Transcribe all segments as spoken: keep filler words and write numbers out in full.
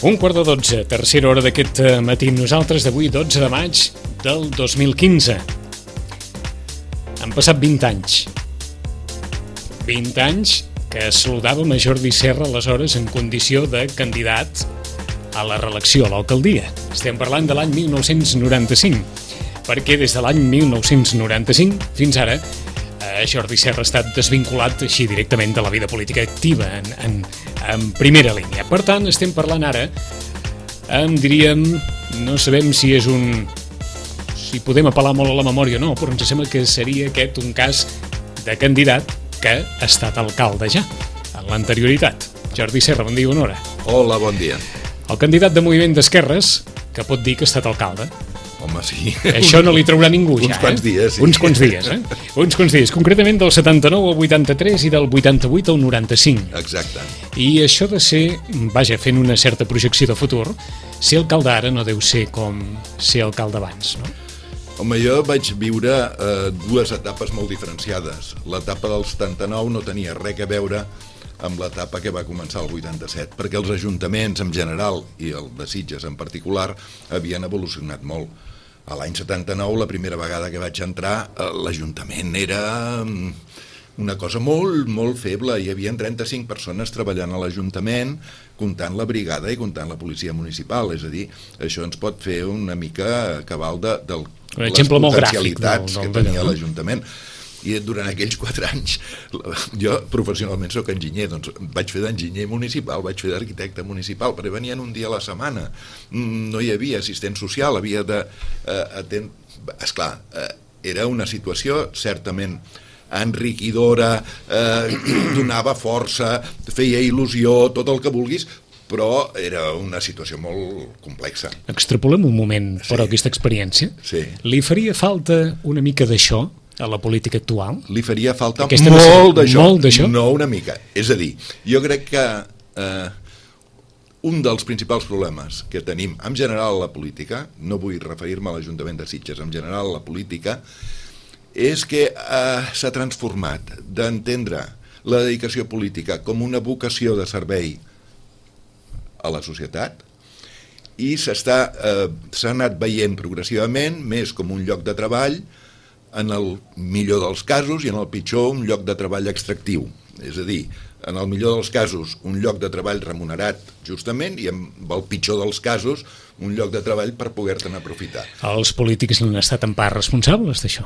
Un quart de dotze, tercera hora d'aquest matí. Nosaltres d'avui, dotze de maig del dos mil quinze. Han passat vint anys. vint anys que saludàvem a Jordi Serra aleshores en condició de candidat a la reelecció a l'alcaldia. Estem parlant de l'any mil nou-cents noranta-cinc, perquè des de l'any mil nou-cents noranta-cinc fins ara Jordi Serra ha estat desvinculat així directament de la vida política activa en, en, en primera línia. Per tant, estem parlant ara, em diríem, no sabem si és un... si podem apel·lar molt a la memòria o no, però ens sembla que seria aquest un cas de candidat que ha estat alcalde ja, en l'anterioritat. Jordi Serra, bon dia, bona hora. Hola, bon dia. El candidat de Moviment d'Esquerres que pot dir que ha estat alcalde. Home, sí. Això no li traurà ningú ja, Uns quants dies, sí. Uns quants dies, eh? Uns quants dies, concretament del setanta-nou al vuitanta-tres i del vuitanta-vuit al noranta-cinc. Exacte. I això de ser, vaja, fent una certa projecció de futur, ser alcalde ara no deu ser com ser alcalde abans, no? Home, jo vaig viure eh, dues etapes molt diferenciades. L'etapa del setanta-nou no tenia res a veure amb l'etapa que va començar el vuitanta-set, perquè els ajuntaments en general i el de Sitges en particular havien evolucionat molt. A l'any setanta-nou, la primera vegada que vaig entrar, l'Ajuntament era una cosa molt, molt feble. Hi havia trenta-cinc persones treballant a l'Ajuntament, comptant la brigada i comptant la policia municipal. És a dir, això ens pot fer una mica cabal de, de les potencialitats que tenia l'Ajuntament. I durant aquells quatre anys, jo professionalment soc enginyer, doncs vaig fer d'enginyer municipal, vaig fer d'arquitecte municipal, perquè venien un dia a la setmana, no hi havia assistent social, havia de... Eh, atent... Esclar, eh, era una situació certament enriquidora, eh, donava força, feia il·lusió, tot el que vulguis, però era una situació molt complexa. Extrapolem un moment, però, sí. Aquesta experiència. Sí. Li faria falta una mica d'això a la política actual? Li faria falta Aquesta molt d'això, molt d'això, no una mica. És a dir, jo crec que eh, un dels principals problemes que tenim en general a la política, no vull referir-me a l'Ajuntament de Sitges, en general a la política, és que eh, s'ha transformat d'entendre la dedicació política com una vocació de servei a la societat i s'està eh, s'ha anat veient progressivament més com un lloc de treball, en el millor dels casos i en el pitjor un lloc de treball extractiu. És a dir, en el millor dels casos un lloc de treball remunerat justament i en el pitjor dels casos un lloc de treball per poder-te'n aprofitar. Els polítics n'han estat en part responsables d'això?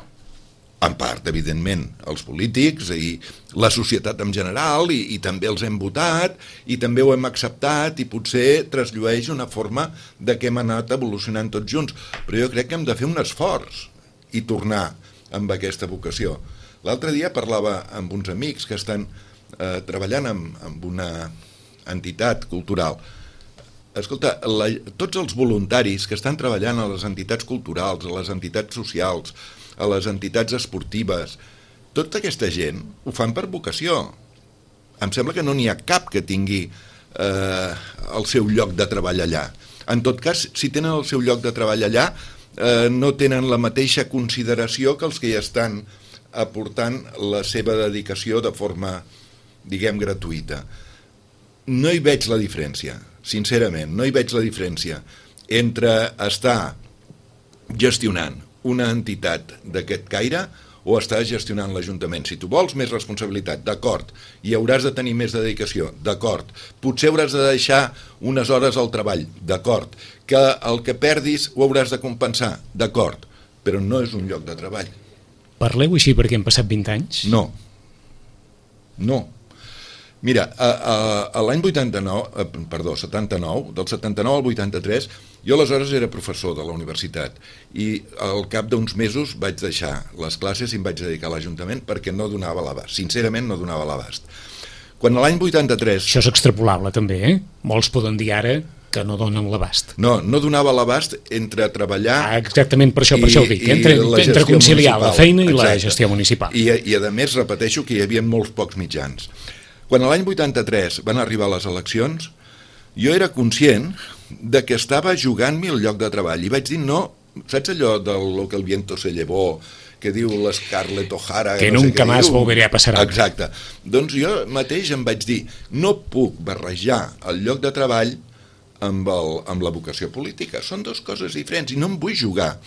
En part, evidentment, els polítics i la societat en general i, i també els hem votat i també ho hem acceptat i potser trasllueix una forma de que hem anat evolucionant tots junts. Però jo crec que hem de fer un esforç i tornar amb aquesta vocació. L'altre dia parlava amb uns amics que estan eh, treballant amb, amb una entitat cultural. Escolta, la, tots els voluntaris que estan treballant a les entitats culturals, a les entitats socials, a les entitats esportives, tota aquesta gent ho fan per vocació. Em sembla que no n'hi ha cap que tingui eh, el seu lloc de treball allà. En tot cas, si tenen el seu lloc de treball allà, Eh, no tenen la mateixa consideració que els que ja estan aportant la seva dedicació de forma, diguem, gratuïta. No hi veig la diferència, sincerament, no hi veig la diferència entre estar gestionant una entitat d'aquest caire o estar gestionant l'Ajuntament. Si tu vols més responsabilitat, d'acord, i hauràs de tenir més dedicació, d'acord, potser hauràs de deixar unes hores al treball, d'acord, que el que perdis ho hauràs de compensar, d'acord, però no és un lloc de treball. Parleu així perquè han passat vint anys? No. No. Mira, a, a, a l'any vuitanta-nou, perdó, setanta-nou, del setanta-nou al vuitanta-tres, jo aleshores era professor de la universitat i al cap d'uns mesos vaig deixar les classes i em vaig dedicar a l'Ajuntament perquè no donava l'abast, sincerament no donava l'abast. Quan a l'any vuitanta-tres... Això és extrapolable també, eh? Molts poden dir ara que no donen l'abast. No, no donava l'abast entre treballar... Ah, exactament, per això, per això ho dic, entre, entre conciliar municipal. La feina i Exacte. La gestió municipal. I, I a més repeteixo que hi havia molts pocs mitjans. Quan a l'any vuitanta-tres van arribar les eleccions, jo era conscient de que estava jugant-m'hi el lloc de treball i vaig dir no, saps allò de lo que el viento se llevó, que diu l'Scarlett O'Hara... Que no nunca sé más volveré a pasar. Exacte. Doncs jo mateix em vaig dir, no puc barrejar el lloc de treball amb, el, amb la vocació política. Són dues coses diferents i no em vull jugar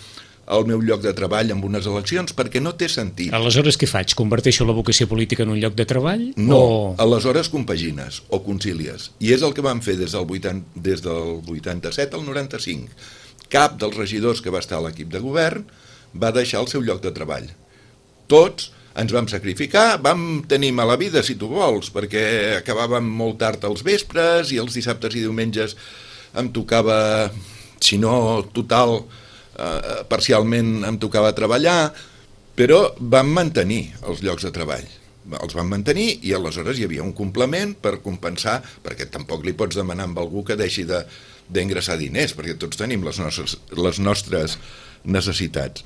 al meu lloc de treball amb unes eleccions perquè no té sentit. Aleshores què faig? Converteixo la vocació política en un lloc de treball? No, o... aleshores compagines o concilies. I és el que vam fer des del, vuitanta, des del vuitanta-set al noranta-cinc. Cap dels regidors que va estar a l'equip de govern va deixar el seu lloc de treball. Tots ens vam sacrificar, vam tenir mala vida, si tu vols, perquè acabàvem molt tard als vespres i els dissabtes i diumenges em tocava, si no total, eh, parcialment em tocava treballar, però vam mantenir els llocs de treball. Els vam mantenir i aleshores hi havia un complement per compensar, perquè tampoc li pots demanar a algú que deixi de, d'ingressar diners, perquè tots tenim les nostres, les nostres necessitats.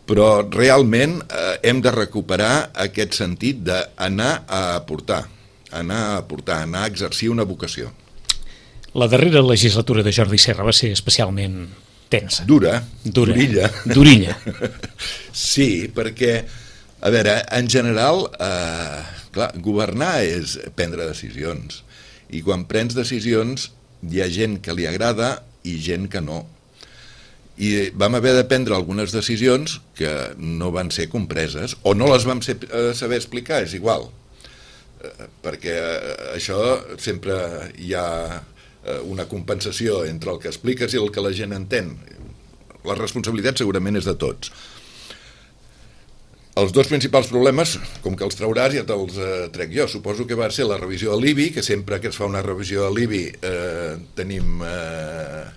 Però realment eh, hem de recuperar aquest sentit d'anar a aportar, anar a aportar, anar a exercir una vocació. La darrera legislatura de Jordi Serra va ser especialment tensa. Dura, Dura. durilla. Durilla. Sí, perquè, a veure, en general, eh, clar, governar és prendre decisions. I quan prens decisions hi ha gent que li agrada i gent que no. I vam haver de prendre algunes decisions que no van ser compreses o no les vam ser, eh, saber explicar, és igual, eh, perquè eh, això sempre hi ha eh, una compensació entre el que expliques i el que la gent entén. La responsabilitat segurament és de tots. Els dos principals problemes, com que els trauràs, ja te'ls eh, trec jo. Suposo que va ser la revisió de l'I B I, que sempre que es fa una revisió de l'I B I eh, tenim eh,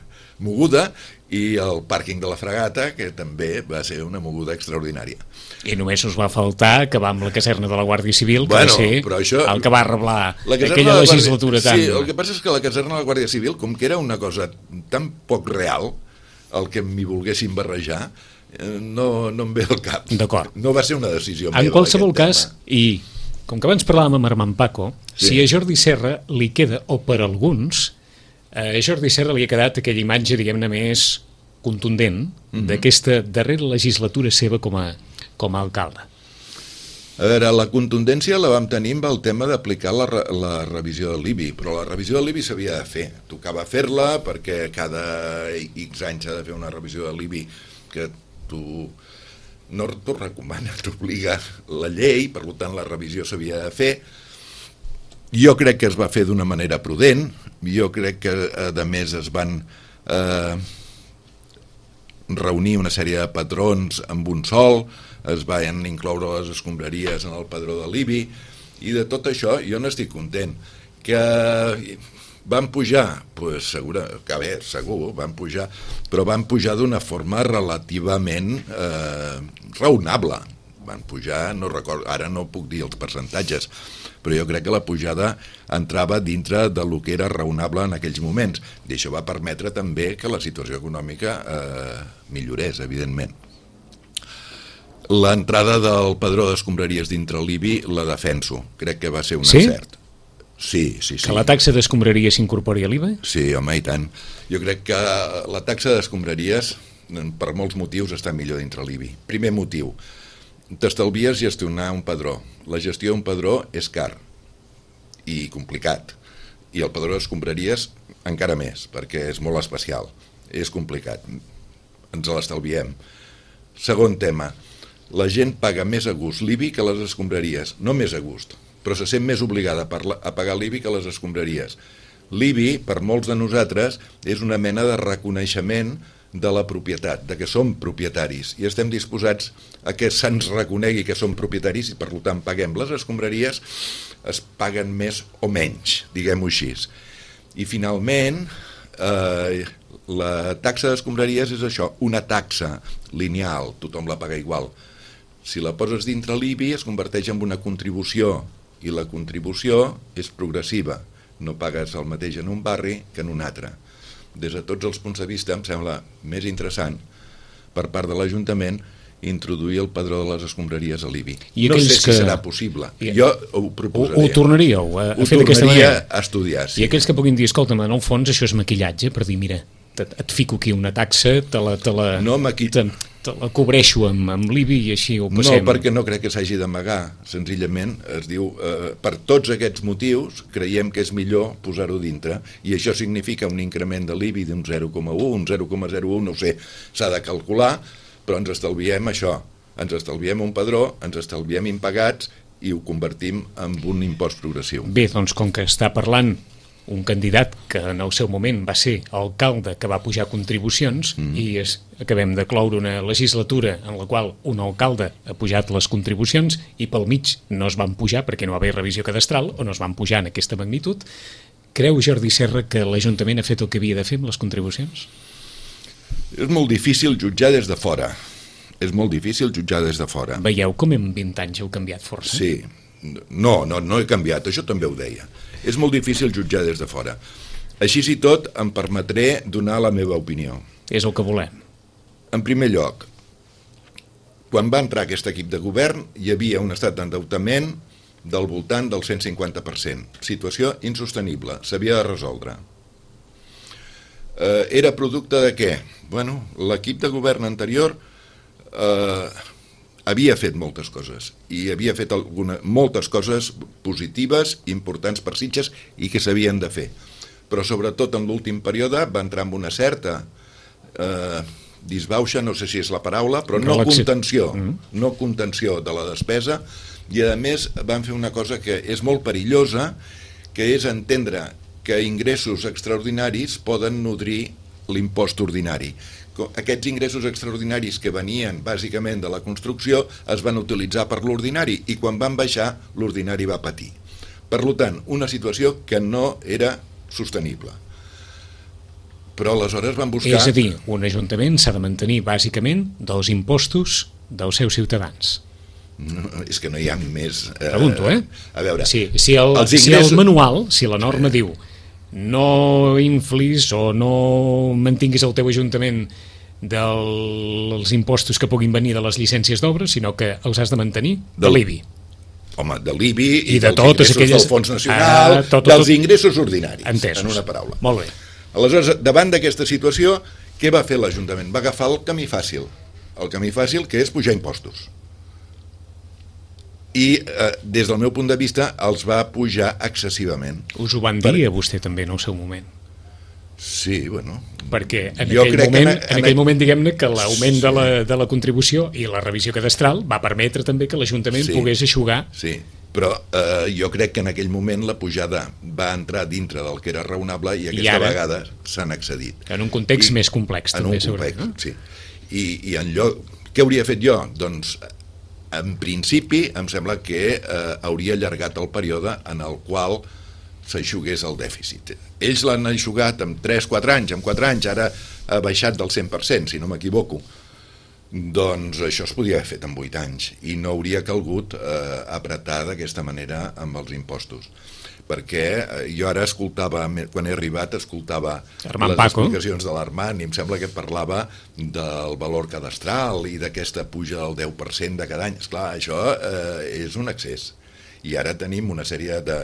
moguda, i el pàrquing de la Fragata, que també va ser una moguda extraordinària. I només us va faltar acabar amb la caserna de la Guàrdia Civil, que bueno, va ser però això, el que va arreglar aquella Guàrdia... legislatura tan... Sí, el que passa és que la caserna de la Guàrdia Civil, com que era una cosa tan poc real, el que m'hi volguessin barrejar, no, no em ve al cap. D'acord. No va ser una decisió meva. En qualsevol cas, tema. I com que abans parlàvem amb Armand Paco, sí. Si a Jordi Serra li queda, o per alguns, a Jordi Serra li ha quedat aquella imatge, diguem-ne, més contundent mm-hmm. d'aquesta darrera legislatura seva com a, com a alcalde. A veure, la contundència la vam tenir amb el tema d'aplicar la, la revisió de l'I B I, però la revisió de l'I B I s'havia de fer. Tocava fer-la perquè cada X anys s'ha de fer una revisió de l'I B I que tu no t'ho recomana, t'obliga la llei, per tant la revisió s'havia de fer. Jo crec que es va fer d'una manera prudent, jo crec que a més es van eh, reunir una sèrie de patrons amb un sol, es van incloure les escombraries en el padró de l'I B I, i de tot això jo n'estic content. Que van pujar, pues, segura, que bé, segur, van pujar, però van pujar d'una forma relativament eh, raonable. Van pujar, no recordo, ara no puc dir els percentatges, però jo crec que la pujada entrava dintre de lo que era raonable en aquells moments, i això va permetre també que la situació econòmica eh, millorés, evidentment. L'entrada del padró d'escombraries dintre l'I B I la defenso, crec que va ser un sí? encert. Sí, sí, sí. Que la taxa d'escombraries s'incorpori a l'I V A? Sí, home, i tant. Jo crec que la taxa d'escombraries, per molts motius, està millor dintre l'I B I. Primer motiu, t'estalvies gestionar un padró. La gestió d'un padró és car i complicat, i el padró d'escombraries encara més, perquè és molt especial, és complicat, ens l'estalviem. Segon tema, la gent paga més a gust l'I B I que les escombraries, no més a gust, però se sent més obligada a pagar l'I B I que les escombraries. L'I B I, per molts de nosaltres, és una mena de reconeixement de la propietat, de que som propietaris, i estem disposats a que se'ns reconegui que som propietaris i per tant paguem. Les escombraries es paguen més o menys, diguem-ho així. I finalment, eh, la taxa d'escombraries és això, una taxa lineal, tothom la paga igual. Si la poses dintre l'I B I es converteix en una contribució, i la contribució és progressiva, no pagues el mateix en un barri que en un altre. Des de tots els punts de vista em sembla més interessant per part de l'Ajuntament introduir el padró de les escombraries a l'I B I. No sé si que... serà possible. I... Jo ho proposaria. Ho, ho tornaríeu a, a fer d'aquesta manera? Ho tornaria a estudiar, sí. I aquells que puguin dir, escolta'm, en el fons això és maquillatge, per dir, mira, et, et fico aquí una taxa, te la... Te la no, maqui... te, te la cobreixo amb, amb l'I B I i així ho passem. No, perquè no crec que s'hagi d'amagar. Senzillament es diu, eh, per tots aquests motius creiem que és millor posar-ho dintre, i això significa un increment de l'I B I d'un zero coma u, un zero coma zero u, no ho sé, s'ha de calcular, però ens estalviem això, ens estalviem un padró, ens estalviem impagats i ho convertim en un impost progressiu. Bé, doncs com que està parlant un candidat que en el seu moment va ser alcalde que va pujar contribucions mm. i es, acabem de cloure una legislatura en la qual un alcalde ha pujat les contribucions i pel mig no es van pujar perquè no va haver revisió cadastral o no es van pujar en aquesta magnitud. Creu Jordi Serra que l'Ajuntament ha fet el que havia de fer amb les contribucions? És molt difícil jutjar des de fora. És molt difícil jutjar des de fora. Veieu com en vint anys heu canviat força? Sí. No, no, no he canviat, això també ho deia. És molt difícil jutjar des de fora. Així i tot, em permetré donar la meva opinió. És el que volem. En primer lloc, quan va entrar aquest equip de govern, hi havia un estat d'endeutament del voltant del cent cinquanta per cent. Situació insostenible, s'havia de resoldre. Eh, era producte de què? Bueno, l'equip de govern anterior eh, havia fet moltes coses, i havia fet alguna, moltes coses positives, importants per Sitges, i que s'havien de fer. Però sobretot en l'últim període va entrar amb una certa eh, disbauxa, no sé si és la paraula, però no contenció, no contenció de la despesa, i a més van fer una cosa que és molt perillosa, que és entendre que ingressos extraordinaris poden nodrir l'impost ordinari. Aquests ingressos extraordinaris que venien bàsicament de la construcció es van utilitzar per l'ordinari, i quan van baixar l'ordinari va patir. Per tant, una situació que no era sostenible. Però aleshores van buscar... És a dir, un ajuntament s'ha de mantenir bàsicament dels impostos dels seus ciutadans. No, és que no hi ha més... Eh, Pregunto, eh? A veure... Sí, si, el, ingressos... si el manual, si la norma sí. diu no inflis o no mantinguis el teu ajuntament dels impostos que puguin venir de les llicències d'obra, sinó que els has de mantenir de l'I B I. Home, de l'I B I i, I de dels ingressos aquelles... del Fons Nacional, ah, tot, dels tot... ingressos ordinaris, entesos. En una paraula. Molt bé. Aleshores, davant d'aquesta situació, què va fer l'Ajuntament? Va agafar el camí fàcil. El camí fàcil, que és pujar impostos. I eh, des del meu punt de vista els va pujar excessivament. Us ho van dir per... a vostè també en el seu moment? Sí, bueno... Perquè en aquell moment, en, en, en aquell moment diguem-ne que l'augment sí. de, la, de la contribució i la revisió cadastral va permetre també que l'Ajuntament sí. pogués eixugar. Sí, però eh, jo crec que en aquell moment la pujada va entrar dintre del que era raonable i aquesta I ara, vegada s'han excedit. En un context I, més complex en també. En un complex, no? Sí. I, i en lloc... Què hauria fet jo? Doncs... En principi, em sembla que eh, hauria allargat el període en el qual s'eixugués el dèficit. Ells l'han eixugat en tres quatre anys, en quatre anys, ara ha baixat del cent per cent, si no m'equivoco. Doncs això es podia haver fet en vuit anys i no hauria calgut eh, apretar d'aquesta manera amb els impostos. Perquè jo ara escoltava, quan he arribat, escoltava Armand les Paco. explicacions de l'Armand i em sembla que parlava del valor cadastral i d'aquesta puja del deu per cent de cada any. Esclar, això eh, és un excés. I ara tenim una sèrie de,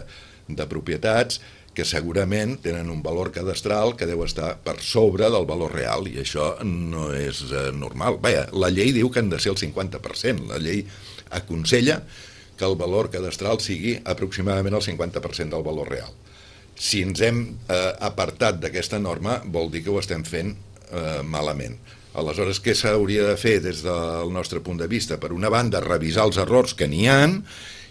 de propietats que segurament tenen un valor cadastral que deu estar per sobre del valor real, i això no és eh, normal. Vaja, la llei diu que han de ser el cinquanta per cent. La llei aconsella que el valor cadastral sigui aproximadament el cinquanta per cent del valor real. Si ens hem eh, apartat d'aquesta norma, vol dir que ho estem fent eh, malament. Aleshores, què s'hauria de fer des del nostre punt de vista? Per una banda, revisar els errors que n'hi ha,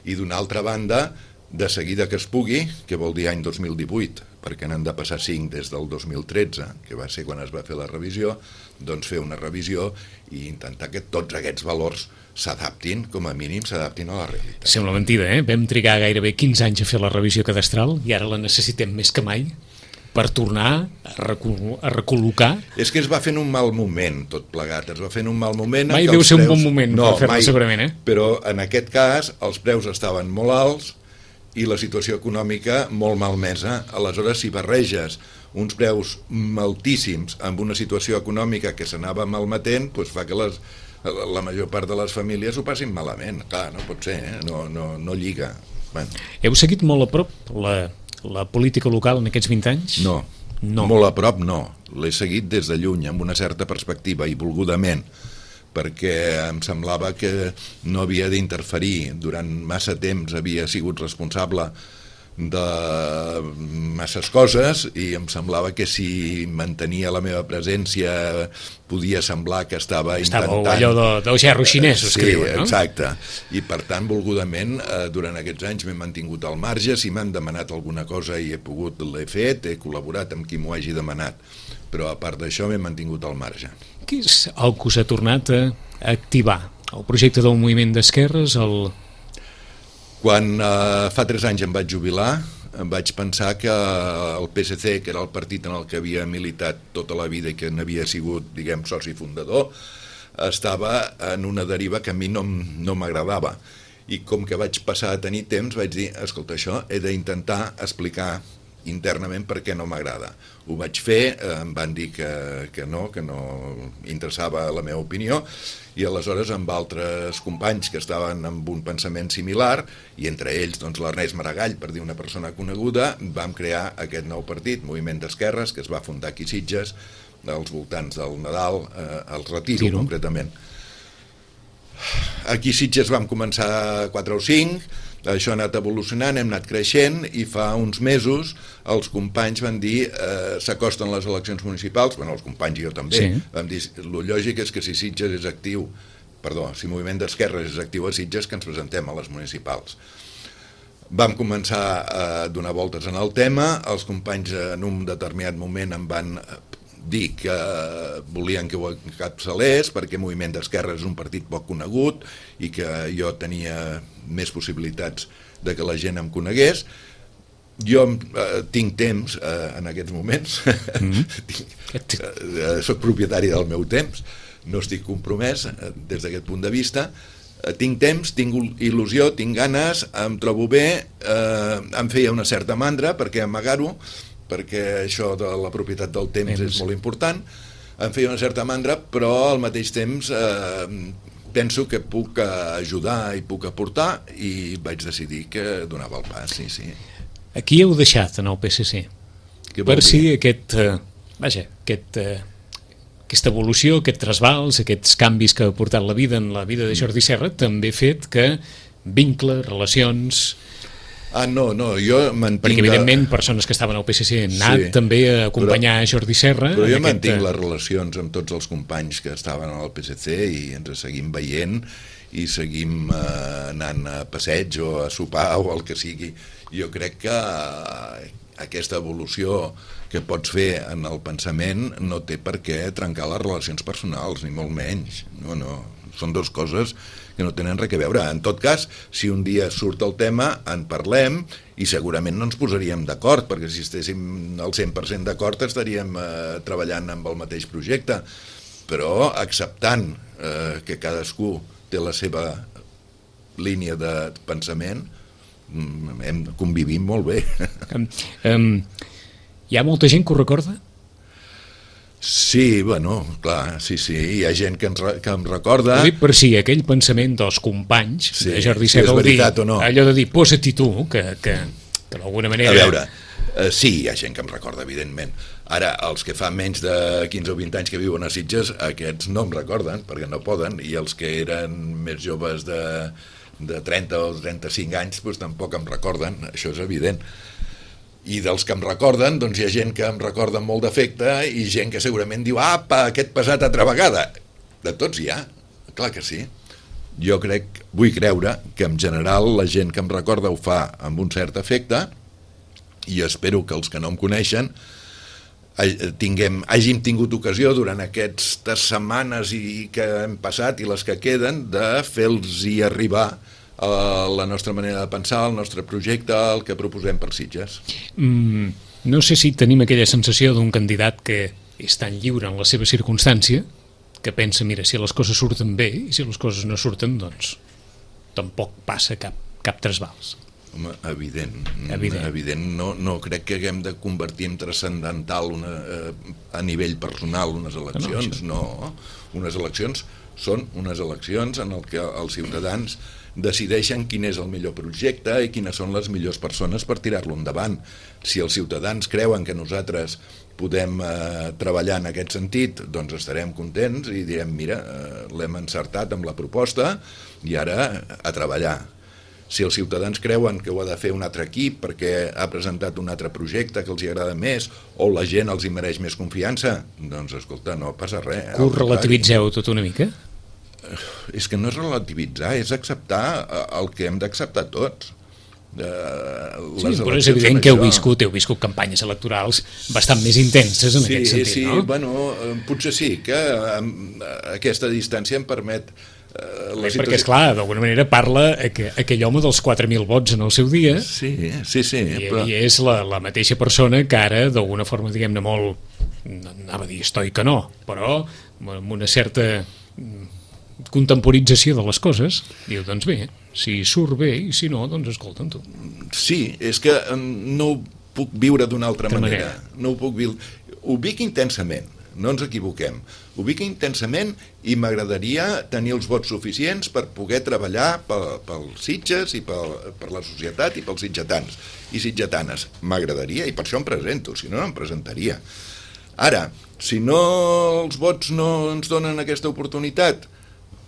i d'una altra banda, de seguida que es pugui, que vol dir any dos mil divuit, perquè n'han de passar cinc des del dos mil tretze, que va ser quan es va fer la revisió, doncs fer una revisió i intentar que tots aquests valors s'adaptin, com a mínim s'adaptin a la realitat. Sembla mentida, eh? Vam trigar gairebé quinze anys a fer la revisió cadastral i ara la necessitem més que mai per tornar a, recol a recol·locar. És que es va fer en un mal moment, tot plegat. Es va fer en un mal moment... Mai deu ser preus... un bon moment no, per fer-lo, segurament, eh? Però en aquest cas els preus estaven molt alts i la situació econòmica molt malmesa. Aleshores, si barreges uns preus altíssims amb una situació econòmica que s'anava malmetent, doncs fa que les, la major part de les famílies ho passin malament. Clar, no pot ser, eh? no, no, no lliga. Bueno. Heu seguit molt a prop la, la política local en aquests vint anys? No, no. Molt a prop no. L'he seguit des de lluny, amb una certa perspectiva i volgudament, perquè em semblava que no havia d'interferir. Durant massa temps havia sigut responsable de masses coses i em semblava que si mantenia la meva presència podia semblar que estava intentant... Estava allò de, dels gerros xinesos, sí, que diuen, no? Exacte. I per tant, volgudament, eh, durant aquests anys m'he mantingut al marge. Si m'han demanat alguna cosa i he pogut, l'he fet, he col·laborat amb qui m'ho hagi demanat. Però a part d'això m'he mantingut al marge. Què és el que us ha tornat a activar? El projecte del moviment d'esquerres, el... Quan eh, fa tres anys em vaig jubilar, em vaig pensar que el P S C, que era el partit en el que havia militat tota la vida i que n'havia sigut, diguem, soci fundador, estava en una deriva que a mi no, no m'agradava. I com que vaig passar a tenir temps, vaig dir, escolta, això he d'intentar explicar internament per què no m'agrada. Ho vaig fer, em van dir que, que no, que no interessava la meva opinió, i aleshores amb altres companys que estaven amb un pensament similar, i entre ells doncs, l'Ernest Maragall, per dir una persona coneguda, vam crear aquest nou partit, Moviment d'Esquerres, que es va fundar aquí a Sitges, als voltants del Nadal, eh, al Retiro, Tiro. concretament. Aquí a Sitges vam començar quatre o cinc, això ha anat evolucionant, hem anat creixent, i fa uns mesos els companys van dir eh, s'acosten les eleccions municipals, bueno, els companys i jo també, sí. Vam dir, lo lògic és que si Sitges és actiu, perdó, si Moviment d'Esquerres és actiu a Sitges, que ens presentem a les municipals. Vam començar a donar voltes en el tema, els companys en un determinat moment em van dir que volien que ho encapçalés perquè Moviment d'Esquerres és un partit poc conegut i que jo tenia més possibilitats de que la gent em conegués. Jo eh, tinc temps eh, en aquests moments, mm-hmm. tinc, eh, soc propietari del meu temps, no estic compromès eh, des d'aquest punt de vista, eh, tinc temps, tinc il·lusió, tinc ganes, em trobo bé, eh, em feia una certa mandra perquè amagar-ho, perquè això de la propietat del temps és molt important, em feia una certa mandra, però al mateix temps eh, penso que puc ajudar i puc aportar, i vaig decidir que donava el pas, sí, sí. Aquí heu deixat en el P S C per si aquest, eh, vaja, aquest, eh, aquesta evolució, aquest trasbals, aquests canvis que ha portat la vida en la vida de Jordi Serra també ha fet que vincles, relacions... Ah, no, no, jo mantinc... Perquè, evidentment, persones que estaven al P S C han anat sí, també a acompanyar però, Jordi Serra... Però jo aquest... mantinc les relacions amb tots els companys que estaven al P S C i ens seguim veient i seguim eh, anant a passeig o a sopar o el que sigui. Jo crec que eh, aquesta evolució que pots fer en el pensament no té per què trencar les relacions personals, ni molt menys. No, no, són dues coses que no tenen res a veure. En tot cas, si un dia surt el tema, en parlem i segurament no ens posaríem d'acord, perquè si estéssim al cent per cent d'acord estaríem eh, treballant amb el mateix projecte, però acceptant eh, que cadascú té la seva línia de pensament, hem convivim molt bé. Um, um, hi ha molta gent que ho recorda? Sí, bueno, clar, sí, sí, hi ha gent que, ens, que em recorda... Ho dic per si aquell pensament dels companys sí, de Jordi si Serra, és veritat dir, o no. Allò de dir, posa-t'hi tu, que, que, que d'alguna manera... A veure, eh, sí, hi ha gent que em recorda, evidentment. Ara, els que fa menys de quinze o vint anys que viuen a Sitges, aquests no em recorden, perquè no poden, i els que eren més joves de, de trenta o trenta-cinc anys, doncs tampoc em recorden, això és evident. I dels que em recorden, doncs hi ha gent que em recorda amb molt d'afecte i gent que segurament diu, apa, aquest passat altra vegada. De tots hi ha, clar que sí. Jo crec, vull creure que en general la gent que em recorda ho fa amb un cert afecte, i espero que els que no em coneixen tinguem, hàgim tingut ocasió durant aquestes setmanes i que hem passat i les que queden de fer-los-hi arribar a la nostra manera de pensar, el nostre projecte, el que proposem per Sitges. Mm, no sé si tenim aquella sensació d'un candidat que és tan lliure en la seva circumstància que pensa, mira, si les coses surten bé i si les coses no surten, doncs tampoc passa cap, cap trasbals. Home, evident. Evident. evident. No, no crec que haguem de convertir en transcendental una, eh, a nivell personal unes eleccions, no, no. Unes eleccions són unes eleccions en el que els ciutadans decideixen quin és el millor projecte i quines són les millors persones per tirar-lo endavant. Si els ciutadans creuen que nosaltres podem eh, treballar en aquest sentit, doncs estarem contents i direm, mira, eh, l'hem encertat amb la proposta i ara a treballar. Si els ciutadans creuen que ho ha de fer un altre equip perquè ha presentat un altre projecte que els hi agrada més o la gent els hi mereix més confiança, doncs escolta, no passa res. Que ho relativitzeu tot una mica? És que no és relativitzar, és acceptar el que hem d'acceptar tots. Sí, però és evident que heu viscut, heu viscut campanyes electorals bastant més intenses en sí, aquest sentit, sí, no? Sí, bueno, potser sí, que aquesta distància em permet Uh, sí, perquè, esclar, d'alguna manera parla aqu aquell home dels quatre mil vots en el seu dia, sí, sí, sí, i, però... i és la, la mateixa persona que ara, d'alguna forma, diguem-ne, molt, anava a dir estoica no, però amb una certa contemporització de les coses, diu, doncs bé, si surt bé i si no, doncs escolta'm tu. Sí, és que no ho puc viure d'una altra manera. manera, no ho puc viure, ho vic intensament. No ens equivoquem. Ho vic intensament i m'agradaria tenir els vots suficients per poder treballar pel, pels Sitges i pel, per la societat i pels sitgetans i sitgetanes. M'agradaria i per això em presento, si no, no em presentaria. Ara, si no els vots no ens donen aquesta oportunitat,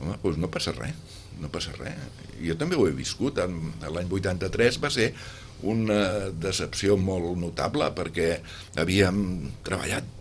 home, doncs no passa res, no passa res. Jo també ho he viscut. L'any vuitanta-tres va ser una decepció molt notable perquè havíem treballat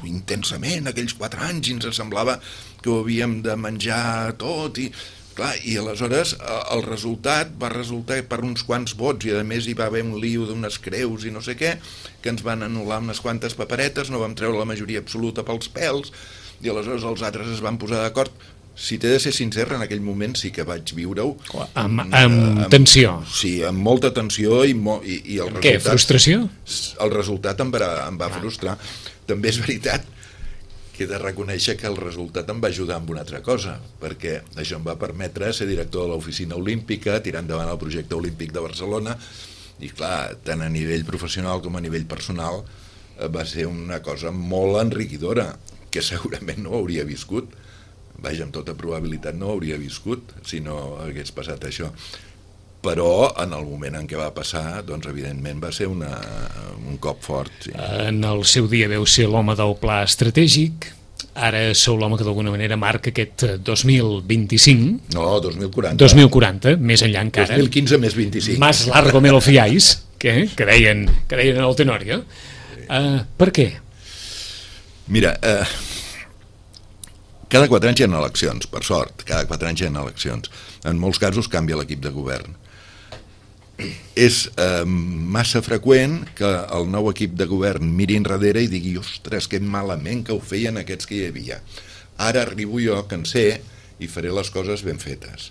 intensament aquells quatre anys i ens semblava que ho havíem de menjar tot i, clar, i aleshores el resultat va resultar per uns quants vots i a més hi va haver un lío d'unes creus i no sé què, que ens van anul·lar unes quantes paperetes, no vam treure la majoria absoluta pels pèls i aleshores els altres es van posar d'acord. Si t'he de ser sincer, en aquell moment sí que vaig viure-ho amb, amb, amb tensió. Sí, amb molta tensió i, mo, i, i el resultat... Què, frustració? El resultat em va, em va frustrar. També és veritat que he de reconèixer que el resultat em va ajudar amb una altra cosa, perquè això em va permetre ser director de l'oficina olímpica, tirar endavant el projecte olímpic de Barcelona, i clar, tant a nivell professional com a nivell personal va ser una cosa molt enriquidora, que segurament no hauria viscut. Vaja, amb tota probabilitat no hauria viscut si no hagués passat això. Però en el moment en què va passar, doncs evidentment va ser una, un cop fort. Sí. En el seu dia veu ser l'home del pla estratègic, ara sou l'home que d'alguna manera marca aquest dos mil vint-i-cinc. No, dos mil quaranta. dos mil quaranta, més enllà encara. dos mil quinze més vint-i-cinc. Más largo me lo fiáis, que, que, deien, que deien en el Tenorio. Uh, per què? Mira, eh, cada quatre anys hi ha eleccions, per sort, cada quatre anys hi ha eleccions. En molts casos canvia l'equip de govern. És eh, massa freqüent que el nou equip de govern miri enrere i digui, ostres, que malament que ho feien aquests que hi havia. Ara arribo jo, que en sé, i faré les coses ben fetes.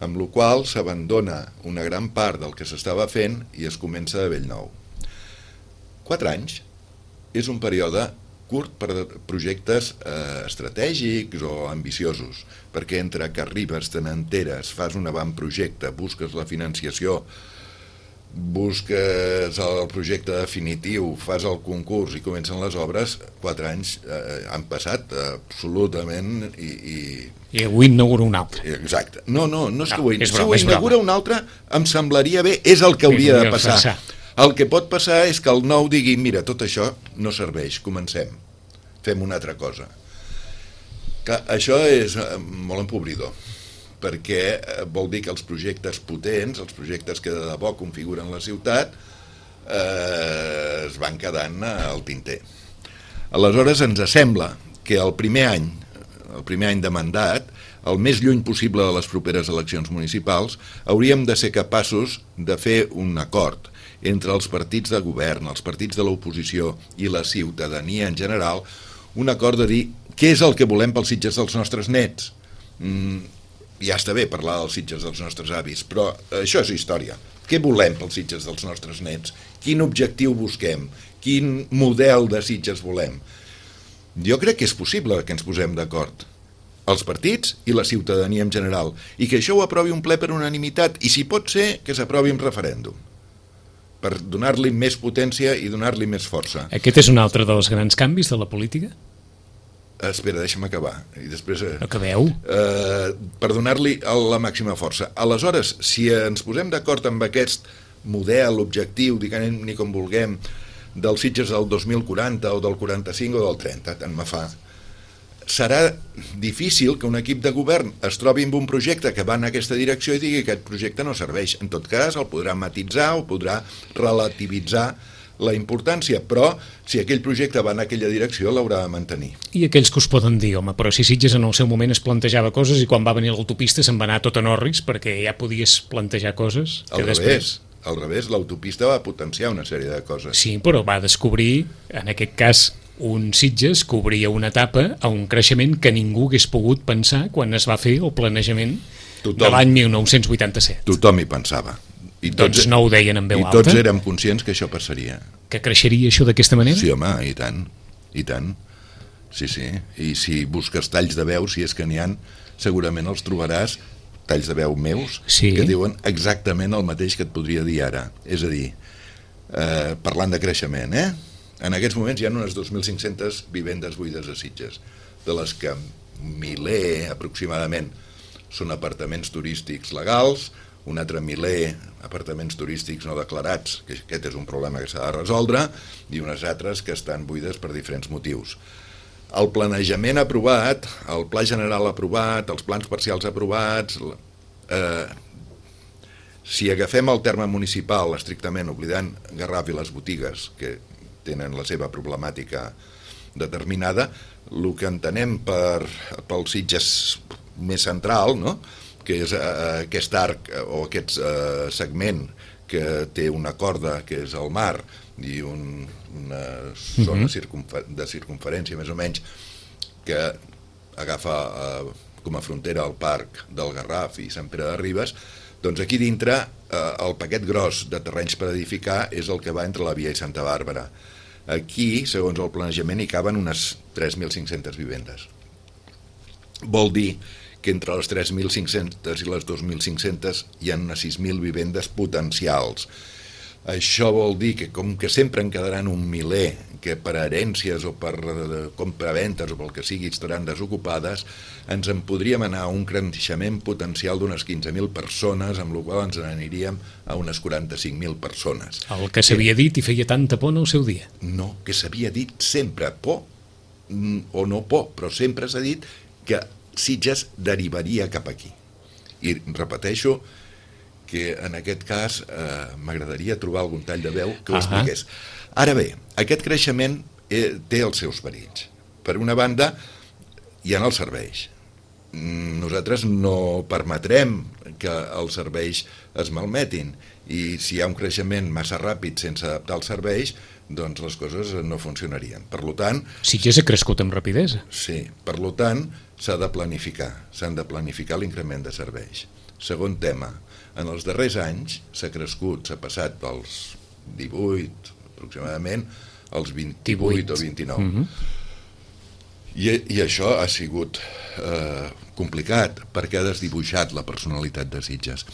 Amb la qual cosa s'abandona una gran part del que s'estava fent i es comença de bell nou. Quatre anys és un període curt per projectes eh, estratègics o ambiciosos, perquè entre que arribes, te n'enteres, fas un avantprojecte, busques la financiació, busques el projecte definitiu, fas el concurs i comencen les obres, quatre anys eh, han passat absolutament i... I, I avui inaugura un altre. Exacte. No, no, no és no, que ho, és si broma, ho inaugura un altre em semblaria bé, és el que hauria de passar. passar. El que pot passar és que el nou digui, mira, tot això no serveix, comencem, fem una altra cosa. Que això és molt empobridor, perquè vol dir que els projectes potents, els projectes que de debò configuren la ciutat, eh, es van quedant al tinter. Aleshores ens sembla que el primer any, el primer any de mandat, el més lluny possible de les properes eleccions municipals, hauríem de ser capaços de fer un acord entre els partits de govern, els partits de l'oposició i la ciutadania en general, un acord de dir què és el que volem pels Sitges dels nostres nets. Mm, ja està bé parlar dels Sitges dels nostres avis, però això és història. Què volem pels Sitges dels nostres nets? Quin objectiu busquem? Quin model de Sitges volem? Jo crec que és possible que ens posem d'acord. els partits i la ciutadania en general, i que això ho aprovi un ple per unanimitat, i si pot ser que s'aprovi en referèndum, per donar-li més potència i donar-li més força. Aquest és un altre dels grans canvis de la política? Espera, deixa'm acabar. I després, eh, Acabeu. Eh, per donar-li la màxima força. Aleshores, si ens posem d'acord amb aquest model, objectiu, diguem-ne com vulguem, dels Sitges del dos mil quaranta o del quaranta-cinc o del trenta, tant me fa, serà difícil que un equip de govern es trobi amb un projecte que va en aquesta direcció i digui que aquest projecte no serveix. En tot cas, el podrà matitzar o podrà relativitzar la importància, però si aquell projecte va en aquella direcció l'haurà de mantenir. I aquells que us poden dir, home, però si Sitges en el seu moment es plantejava coses i quan va venir l'autopista se'n va anar tot en orris perquè ja podies plantejar coses que Al després... revés, al revés, l'autopista va potenciar una sèrie de coses. Sí, però va descobrir, en aquest cas, un Sitges que obria una etapa a un creixement que ningú hagués pogut pensar quan es va fer el planejament Tothom. de l'any mil nou-cents vuitanta-set. Tothom hi pensava. I tots, doncs no ho deien en veu i alta. I tots érem conscients que això passaria. Que creixeria això d'aquesta manera? Sí, home, i tant, i tant. Sí, sí. I si busques talls de veu, si és que n'hi ha, segurament els trobaràs, talls de veu meus, sí. que diuen exactament el mateix que et podria dir ara. És a dir, eh, parlant de creixement, eh? En aquests moments hi ha unes dos mil cinc-centes vivendes buides a Sitges, de les que miler aproximadament són apartaments turístics legals, un altre miler apartaments turístics no declarats, que aquest és un problema que s'ha de resoldre, i unes altres que estan buides per diferents motius. El planejament aprovat, el pla general aprovat, els plans parcials aprovats, eh, si agafem el terme municipal estrictament, oblidant Garraf i les botigues, que tenen la seva problemàtica determinada, el que entenem per, pel Sitges més central, no?, que és eh, aquest arc o aquest eh, segment que té una corda, que és el mar, i un, una zona uh-huh. circunfer- de circunferència més o menys, que agafa eh, com a frontera el parc del Garraf i Sant Pere de Ribes, doncs aquí dintre eh, el paquet gros de terrenys per edificar és el que va entre la Via i Santa Bàrbara. Aquí, segons el planejament, hi caben unes tres mil cinc-centes vivendes. Vol dir que entre les tres mil cinc-centes i les dos mil cinc-centes hi ha unes sis mil vivendes potencials. Això vol dir que, com que sempre en quedaran un miler que per herències o per compraventes o pel que sigui estaran desocupades, ens en podríem anar a un creixement potencial d'unes quinze mil persones, amb la qual ens n'aniríem a unes quaranta-cinc mil persones. El que s'havia dit i feia tanta por en el seu dia. No, que s'havia dit sempre por, o no por, però sempre s'ha dit que Sitges derivaria cap aquí. I repeteixo que en aquest cas eh, m'agradaria trobar algun tall de veu que ho uh-huh. expliqués. Ara bé, aquest creixement eh, té els seus perills. Per una banda, hi ha els serveis. Nosaltres no permetrem que els serveis es malmetin, i si hi ha un creixement massa ràpid sense adaptar els serveis, doncs les coses no funcionarien. Per tant... Sitges ha crescut amb rapidesa. Sí, per tant, s'ha de planificar, s'han de planificar l'increment de serveis. Segon tema, en els darrers anys s'ha crescut, s'ha passat dels divuit, aproximadament, als vint-i-vuit o vint-i-nou. Mm-hmm. I, I això ha sigut eh, complicat, perquè ha desdibuixat la personalitat de Sitges.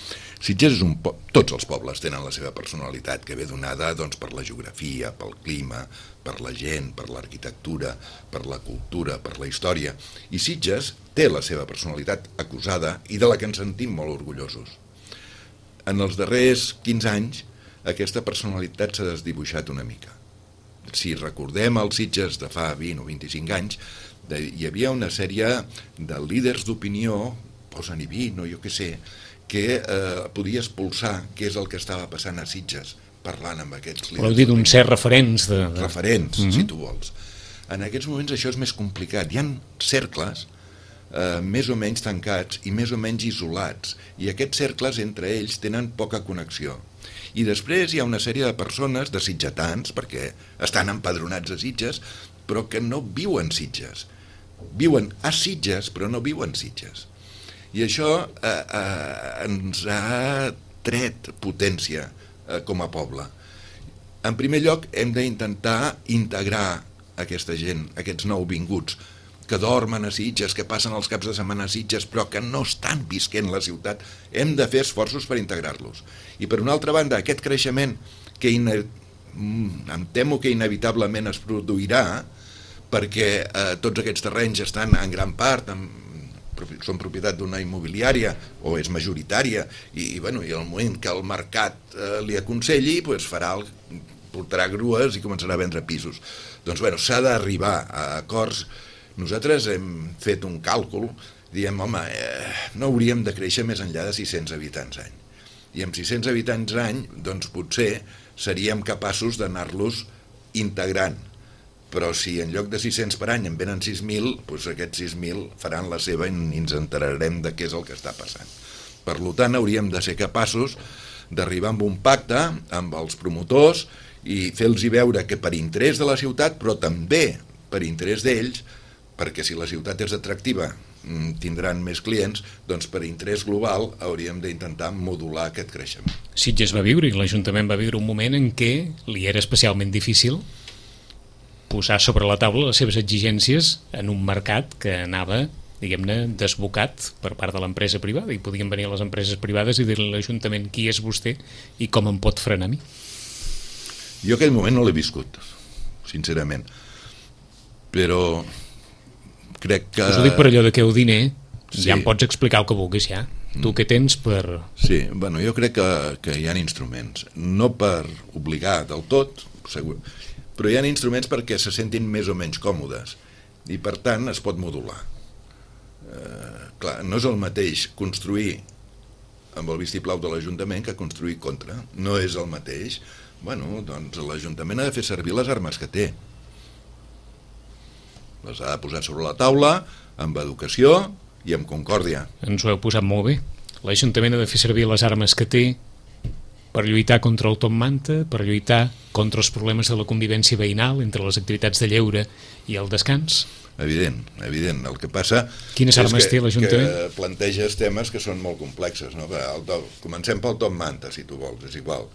Sitges és un po- tots els pobles tenen la seva personalitat, que ve donada doncs, per la geografia, pel clima, per la gent, per l'arquitectura, per la cultura, per la història. I Sitges té la seva personalitat acusada i de la que ens sentim molt orgullosos. En els darrers quinze anys, aquesta personalitat s'ha desdibuixat una mica. Si recordem els Sitges de fa vint o vint-i-cinc anys, de, hi havia una sèrie de líders d'opinió, posa-n'hi vint o jo què sé, que eh, podia expulsar què és el que estava passant a Sitges, parlant amb aquests líders. Voleu dir d'un cert referents. De, de... Referents, mm-hmm. si tu vols. En aquests moments això és més complicat. Hi ha cercles eh, més o menys tancats i més o menys isolats, i aquests cercles entre ells tenen poca connexió. I després hi ha una sèrie de persones, de sitgetans, perquè estan empadronats a Sitges, però que no viuen Sitges. Viuen a Sitges, però no viuen Sitges. I això eh, eh, ens ha tret potència eh, com a poble. En primer lloc, hem d'intentar integrar aquesta gent, aquests nouvinguts, que dormen a Sitges, que passen els caps de setmana a Sitges, però que no estan visquent la ciutat. Hem de fer esforços per integrar-los. I per una altra banda, aquest creixement que ine... em temo que inevitablement es produirà perquè eh, tots aquests terrenys estan en gran part en, són propietat d'una immobiliària o és majoritària i, i, bueno, i al moment que el mercat eh, li aconselli pues farà el, portarà grues i començarà a vendre pisos. Doncs bueno, s'ha d'arribar a acords. Nosaltres hem fet un càlcul, diem, home, eh, no hauríem de créixer més enllà de sis-cents habitants any. I amb sis-cents habitants any, doncs potser seríem capaços d'anar-los integrant. Però si en lloc de sis-cents per any en venen sis mil, doncs aquests sis mil faran la seva i ens enterarem de què és el que està passant. Per tant, hauríem de ser capaços d'arribar amb un pacte amb els promotors i fer-los veure que per interès de la ciutat, però també per interès d'ells, perquè si la ciutat és atractiva tindran més clients, doncs per interès global hauríem d'intentar modular aquest creixement. Sitges va viure i l'Ajuntament va viure un moment en què li era especialment difícil posar sobre la taula les seves exigències en un mercat que anava, diguem-ne, desbocat per part de l'empresa privada, i podien venir les empreses privades i dir-li a l'Ajuntament qui és vostè i com em pot frenar a mi. Jo aquell moment no l'he viscut, sincerament, però crec que... Us ho dic per allò de que el diner, sí, ja em pots explicar el que vulguis, ja. Tu què tens per... Sí, bueno, jo crec que, que hi ha instruments, no per obligar del tot, segur, però hi ha instruments perquè se sentin més o menys còmodes i per tant es pot modular. Eh, clar, no és el mateix construir amb el vistiplau de l'Ajuntament que construir contra, no és el mateix. Bueno, doncs l'Ajuntament ha de fer servir les armes que té. Les ha de posar sobre la taula, amb educació i amb concòrdia. Ens ho heu posat molt bé. L'Ajuntament ha de fer servir les armes que té per lluitar contra el top manta, per lluitar contra els problemes de la convivència veïnal entre les activitats de lleure i el descans. Evident, evident. El que passa Quines armes és que, té l'Ajuntament? que planteges temes que són molt complexes. No? El top, comencem pel top manta, si tu vols, és igual.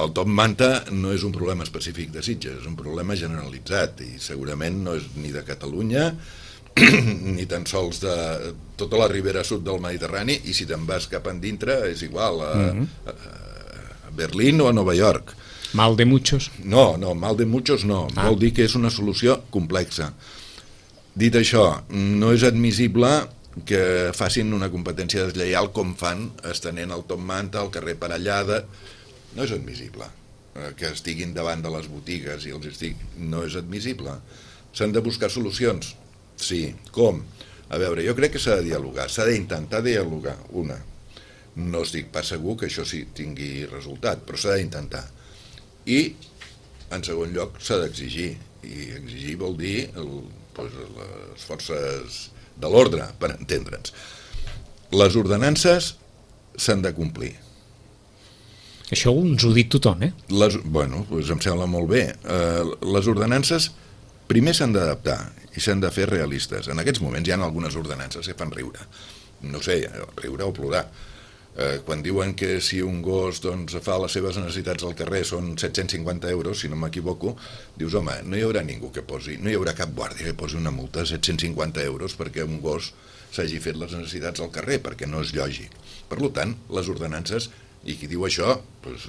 El top manta no és un problema específic de Sitges, és un problema generalitzat i segurament no és ni de Catalunya ni tan sols de tota la ribera sud del Mediterrani, i si te'n vas cap endintre és igual a, a, a Berlín o a Nova York. Mal de muchos? No, no, mal de muchos no, ah. Vol dir que és una solució complexa. Dit això, no és admissible que facin una competència deslleial com fan estenent el top manta al carrer Parellada. No és admissible que estiguin davant de les botigues i els estic... no és admissible. S'han de buscar solucions. Sí, com? A veure, jo crec que s'ha de dialogar, s'ha d'intentar dialogar, una. No estic pas segur que això sí tingui resultat, però s'ha d'intentar. I, en segon lloc, s'ha d'exigir. I exigir vol dir el, doncs, les forces de l'ordre, per entendre'ns. Les ordenances s'han de complir. Això ens ho ha dit tothom, eh? Les, bueno, doncs em sembla molt bé. Uh, les ordenances primer s'han d'adaptar i s'han de fer realistes. En aquests moments hi ha algunes ordenances que fan riure. No sé, riure o plorar. Uh, quan diuen que si un gos doncs, fa les seves necessitats al carrer són set-cents cinquanta euros, si no m'equivoco, dius, home, no hi haurà ningú que posi, no hi haurà cap guàrdia que posi una multa de set-cents cinquanta euros perquè un gos s'hagi fet les necessitats al carrer, perquè no és lògic. Per tant, les ordenances, i qui diu això, doncs,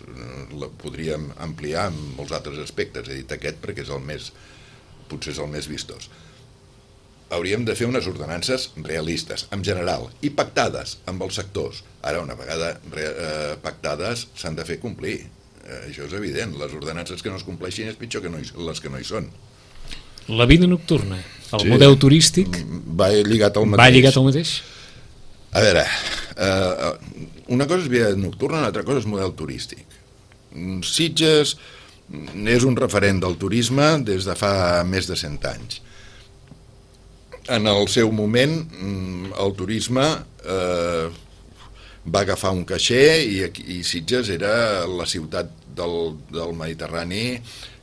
la podríem ampliar en molts altres aspectes. He dit aquest perquè és el més, potser és el més vistós. Hauríem de fer unes ordenances realistes, en general, i pactades amb els sectors. Ara, una vegada eh, pactades, s'han de fer complir. Eh, això és evident. Les ordenances que no es compleixin és pitjor que no hi, les que no hi són. La vida nocturna, el sí, model turístic... Va lligat al mateix. Va lligat al mateix? A veure, eh, una cosa és vida nocturna, una altra cosa és model turístic. Sitges és un referent del turisme des de fa més de cent anys. En el seu moment, el turisme eh, va agafar un caixer i, i Sitges era la ciutat del, del Mediterrani,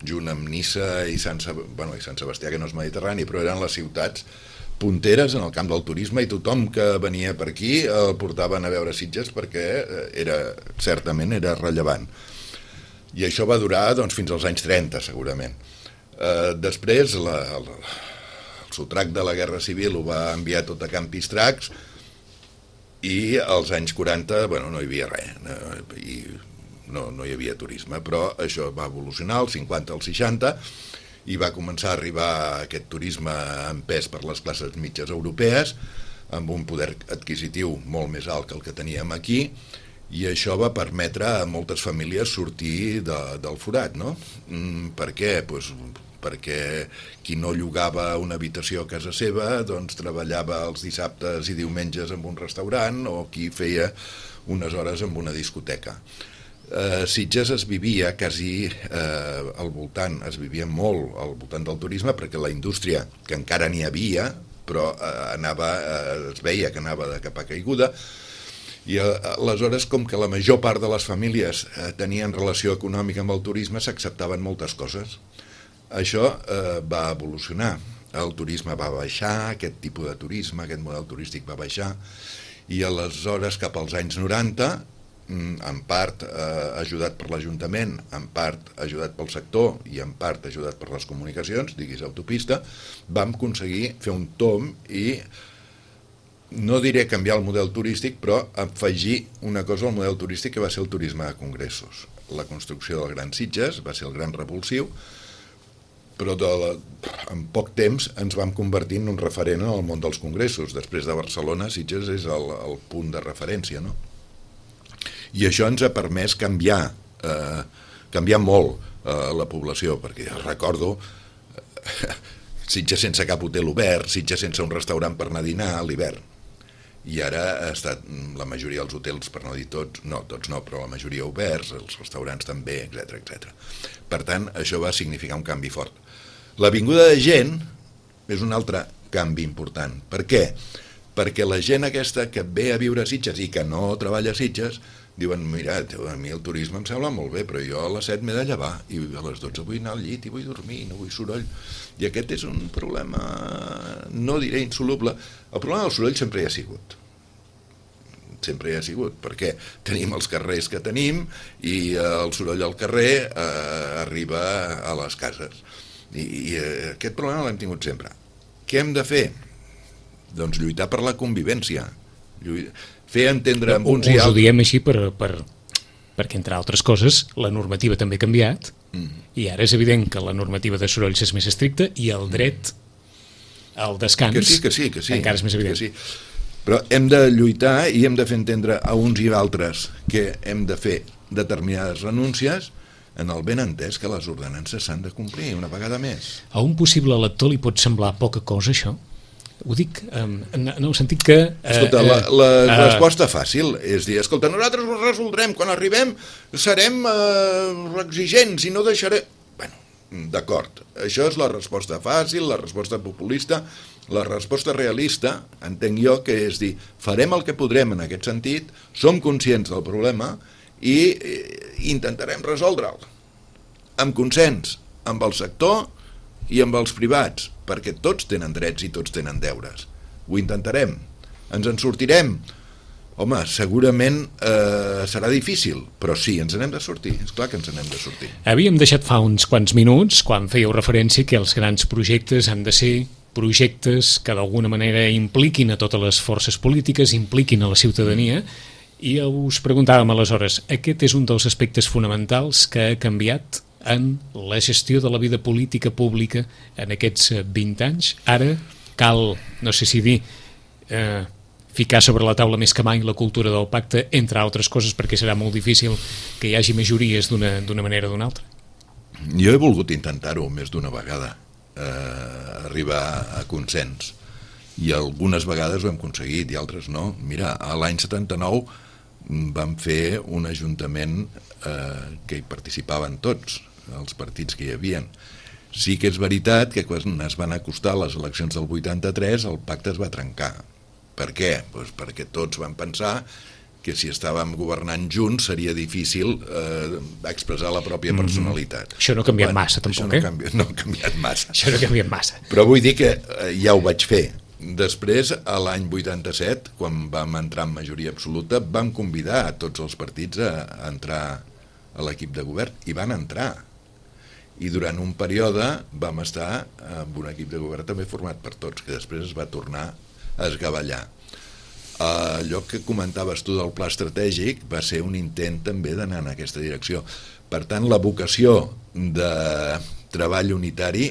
junt amb Niça i Sant, bueno, i Sant Sebastià, que no és Mediterrani, però eren les ciutats punteres en el camp del turisme, i tothom que venia per aquí el portaven a veure Sitges perquè era, certament era rellevant. I això va durar doncs, fins als anys trenta, segurament. Eh, després, la, el, el sotrac de la Guerra Civil ho va enviar tot a camp Pistracs, i als anys quaranta, bueno, no hi havia res, no, i no, no hi havia turisme, però això va evolucionar als cinquanta, als seixanta, i va començar a arribar aquest turisme empès per les classes mitges europees, amb un poder adquisitiu molt més alt que el que teníem aquí, i això va permetre a moltes famílies sortir de, del forat, no? Mm, per què? Pues, perquè qui no llogava una habitació a casa seva doncs treballava els dissabtes i diumenges en un restaurant, o qui feia unes hores en una discoteca. Eh, Sitges es vivia quasi eh, al voltant, es vivia molt al voltant del turisme, perquè la indústria, que encara n'hi havia, però eh, anava, eh, es veia que anava de capa caiguda, i eh, aleshores, com que la major part de les famílies eh, tenien relació econòmica amb el turisme, s'acceptaven moltes coses. Això eh, va evolucionar, el turisme va baixar, aquest tipus de turisme, aquest model turístic va baixar, i aleshores cap als anys noranta, en part eh, ajudat per l'Ajuntament, en part ajudat pel sector i en part ajudat per les comunicacions, diguis autopista, vam aconseguir fer un tomb i no diré canviar el model turístic, però afegir una cosa al model turístic, que va ser el turisme de congressos. La construcció del Gran Sitges va ser el gran revulsiu, però de la, en poc temps ens vam convertir en un referent en el món dels congressos. Després de Barcelona, Sitges és el, el punt de referència, no? I això ens ha permès canviar, eh, canviar molt eh, la població, perquè recordo eh, Sitges sense cap hotel obert, Sitges sense un restaurant per anar a dinar a l'hivern. I ara ha estat la majoria dels hotels, per no dir tots, no, tots no, però la majoria oberts, els restaurants també, etcètera, etcètera. Per tant, això va significar un canvi fort. La vinguda de gent és un altre canvi important. Per què? Perquè la gent aquesta que ve a viure a Sitges i que no treballa a Sitges diuen, mira, a mi el turisme em sembla molt bé, però jo a les set m'he de llevar i a les dotze vull anar al llit i vull dormir, no vull soroll. I aquest és un problema, no diré insoluble. El problema del soroll sempre hi ha sigut. Sempre hi ha sigut, perquè tenim els carrers que tenim i el soroll al carrer eh, arriba a les cases. I, i aquest problema l'hem tingut sempre. Què hem de fer? Doncs lluitar per la convivència. Lluitar, fer entendre amb uns i altres. Us ho diem així per, per, perquè, entre altres coses, la normativa també ha canviat, mm. i ara és evident que la normativa de sorolls és més estricta i el dret al descans que sí, que sí, que sí, encara és més evident. Que sí. Però hem de lluitar i hem de fer entendre a uns i altres que hem de fer determinades renúncies en el ben entès que les ordenances s'han de complir una vegada més. A un possible lector li pot semblar poca cosa, això? Ho dic en, en el sentit que... Eh, escolta, la, la eh, resposta fàcil és dir, escolta, nosaltres ho resoldrem, quan arribem serem eh, exigents i no deixarem... Bueno, d'acord, això és la resposta fàcil, la resposta populista, la resposta realista, entenc jo, que és dir, farem el que podrem en aquest sentit, som conscients del problema i eh, intentarem resoldre'l amb consens, amb el sector i amb els privats, perquè tots tenen drets i tots tenen deures. Ho intentarem. Ens en sortirem? Home, segurament eh, serà difícil, però sí, ens n'hem de sortir. És clar que ens n'hem de sortir. Havíem deixat fa uns quants minuts, quan fèieu referència que els grans projectes han de ser projectes que d'alguna manera impliquin a totes les forces polítiques, impliquin a la ciutadania, i us preguntàvem aleshores, aquest és un dels aspectes fonamentals que ha canviat en la gestió de la vida política pública en aquests vint anys. Ara cal, no sé si dir, eh, ficar sobre la taula més que mai la cultura del pacte, entre altres coses, perquè serà molt difícil que hi hagi majories d'una d'una manera o d'una altra. Jo he volgut intentar-ho més d'una vegada, eh, arribar a consens, i algunes vegades ho hem aconseguit i altres no. Mira, a l'any setanta-nou vam fer un ajuntament eh, que hi participaven tots, els partits que hi havien. Sí que és veritat que quan es van acostar les eleccions del vuitanta-tres el pacte es va trencar. Per què? Pues perquè tots van pensar que si estàvem governant junts seria difícil eh, expressar la pròpia personalitat. Mm-hmm. Això no ha canviat bueno, massa, tampoc, no eh? Canvi... No ha canviat massa. Això no ha canviat massa. Però vull dir que eh, ja ho vaig fer. Després, a l'any vuitanta-set, quan vam entrar en majoria absoluta, vam convidar a tots els partits a, a entrar a l'equip de govern, i van entrar. i durant un període vam estar amb un equip de govern també format per tots, que després es va tornar a esgavellar. Allò que comentaves tu del pla estratègic va ser un intent també d'anar en aquesta direcció. Per tant, la vocació de treball unitari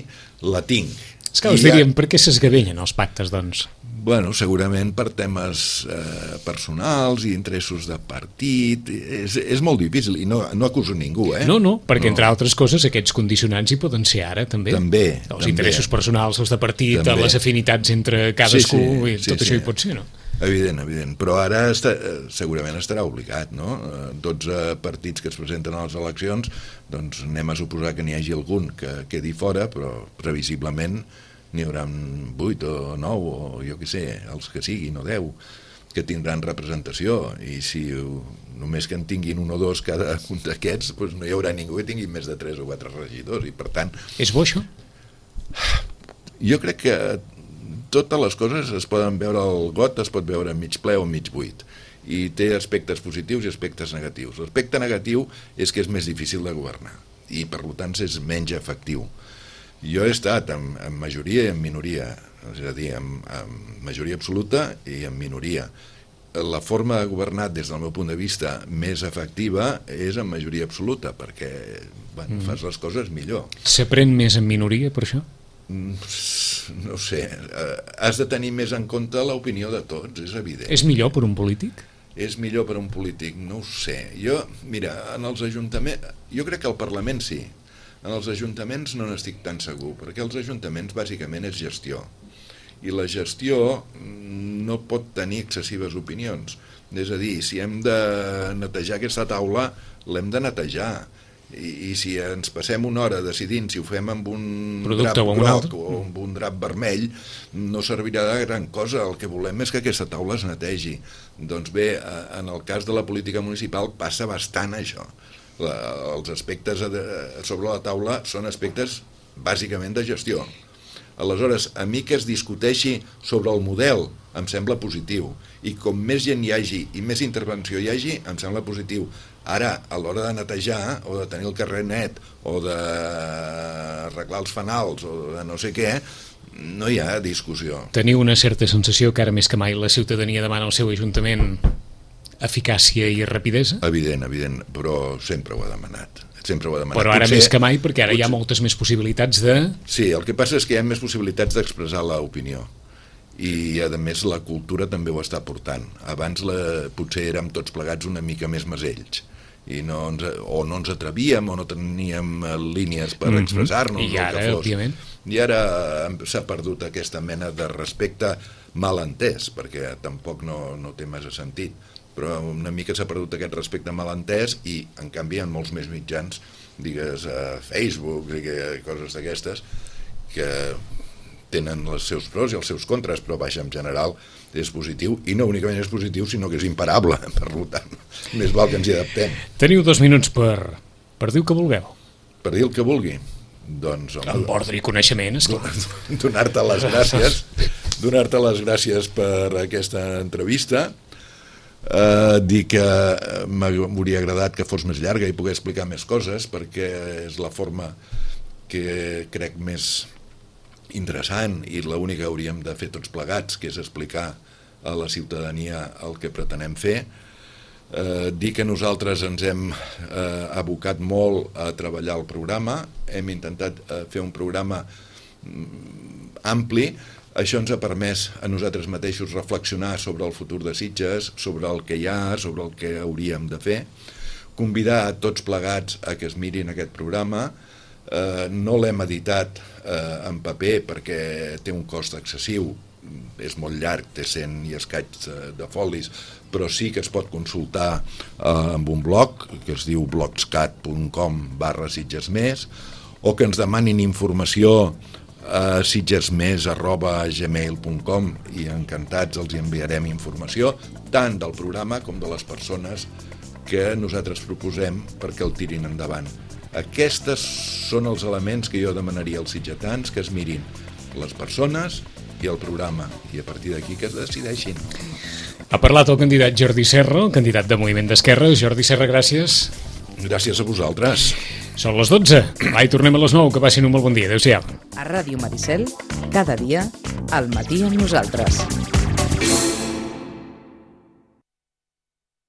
la tinc. És que us diríem, per què s'esgavellen els pactes, doncs? Bueno, segurament per temes eh, personals i interessos de partit. És, és molt difícil, i no, no acuso ningú, eh? No, no, perquè no. Entre altres coses aquests condicionants hi poden ser ara, també. També. Els també. Interessos personals, els de partit, també. Les afinitats entre cadascú, sí, sí, i tot sí, això sí. Hi pot ser, no? Evident, evident, però ara està, segurament estarà obligat, no? dotze partits que es presenten a les eleccions, doncs anem a suposar que n'hi hagi algun que quedi fora, però previsiblement n'hi haurà vuit o nou, o jo què sé, els que siguin, o deu, que tindran representació, i si només que en tinguin un o dos cada un d'aquests, doncs no hi haurà ningú que tingui més de tres o quatre regidors, i per tant... És bo, això? Jo crec que totes les coses es poden veure al got, es pot veure mig ple o mig buit, i té aspectes positius i aspectes negatius. L'aspecte negatiu és que és més difícil de governar i per tant és menys efectiu. Jo he estat en, en majoria i en minoria, és a dir, en, en majoria absoluta i en minoria. La forma de governar des del meu punt de vista més efectiva és en majoria absoluta, perquè bueno, mm. fas les coses millor. S'aprèn més en minoria per això? No sé, has de tenir més en compte l'opinió de tots, és evident. És millor per un polític? És millor per un polític, no ho sé. Jo, mira, en els ajuntaments, jo crec que al Parlament sí, en els ajuntaments no n'estic tan segur, perquè els ajuntaments bàsicament és gestió, i la gestió no pot tenir excessives opinions. És a dir, si hem de netejar aquesta taula, l'hem de netejar. I, i si ens passem una hora decidint si ho fem amb un producte drap o amb groc o amb un drap vermell, no servirà de gran cosa. El que volem és que aquesta taula es netegi. Doncs bé, en el cas de la política municipal passa bastant això. La, els aspectes sobre la taula són aspectes bàsicament de gestió. Aleshores, a mi que es discuteixi sobre el model em sembla positiu, i com més gent hi hagi i més intervenció hi hagi, em sembla positiu. Ara, a l'hora de netejar, o de tenir el carrer net, o d'arreglar els fanals, o de no sé què, no hi ha discussió. Teniu una certa sensació que ara més que mai la ciutadania demana al seu ajuntament eficàcia i rapidesa? Evident, evident, però sempre ho ha demanat. Sempre ho ha demanat. Però ara potser, més que mai, perquè ara potser... hi ha moltes més possibilitats de... Sí, el que passa és que hi ha més possibilitats d'expressar l'opinió. I, a més, la cultura també ho està portant. Abans la, potser érem tots plegats una mica més masells, i no ens, o no ens atrevíem o no teníem línies per mm-hmm. expressar-nos. I ara, òbviament. I ara s'ha perdut aquesta mena de respecte mal entès, perquè tampoc no, no té massa sentit, però una mica s'ha perdut aquest respecte mal entès, i en canvi hi ha molts més mitjans, digues a Facebook, digues, coses d'aquestes, que tenen els seus pros i els seus contres, però vaja, en general és positiu, i no únicament és positiu, sinó que és imparable, per tant, més val que ens hi adaptem. Teniu dos minuts per, per dir el que vulgueu. Per dir el que vulgui? Doncs... Home, amb ordre i coneixement, esclar. Donar-te les gràcies, donar-te les gràcies per aquesta entrevista, eh, dir que m'hauria agradat que fos més llarga i poder explicar més coses, perquè és la forma que crec més interessant i l'única que hauríem de fer tots plegats, que és explicar a la ciutadania el que pretenem fer. Eh, dir que nosaltres ens hem eh, abocat molt a treballar el programa, hem intentat eh, fer un programa mm, ampli. Això ens ha permès a nosaltres mateixos reflexionar sobre el futur de Sitges, sobre el que hi ha, sobre el que hauríem de fer, convidar a tots plegats a que es mirin aquest programa. Eh, no l'hem editat eh, en paper perquè té un cost excessiu, és molt llarg, té cent i escaig de folis, però sí que es pot consultar eh, amb un blog que es diu blogscat punt com barra sitgesmés, o que ens demanin informació a sitgesmés arroba gmail punt com, i encantats els enviarem informació tant del programa com de les persones que nosaltres proposem perquè el tirin endavant. Aquests són els elements que jo demanaria als sitgetans, que es mirin les persones i el programa, i a partir d'aquí que es decideixin. Ha parlat el candidat Jordi Serra, el candidat de Moviment d'Esquerra. Jordi Serra, gràcies. Gràcies a vosaltres. Són les dotze. Va, i tornem a les nou. Que passin un molt bon dia. Adéu-siau. A Ràdio Maricel, cada dia, al matí amb nosaltres.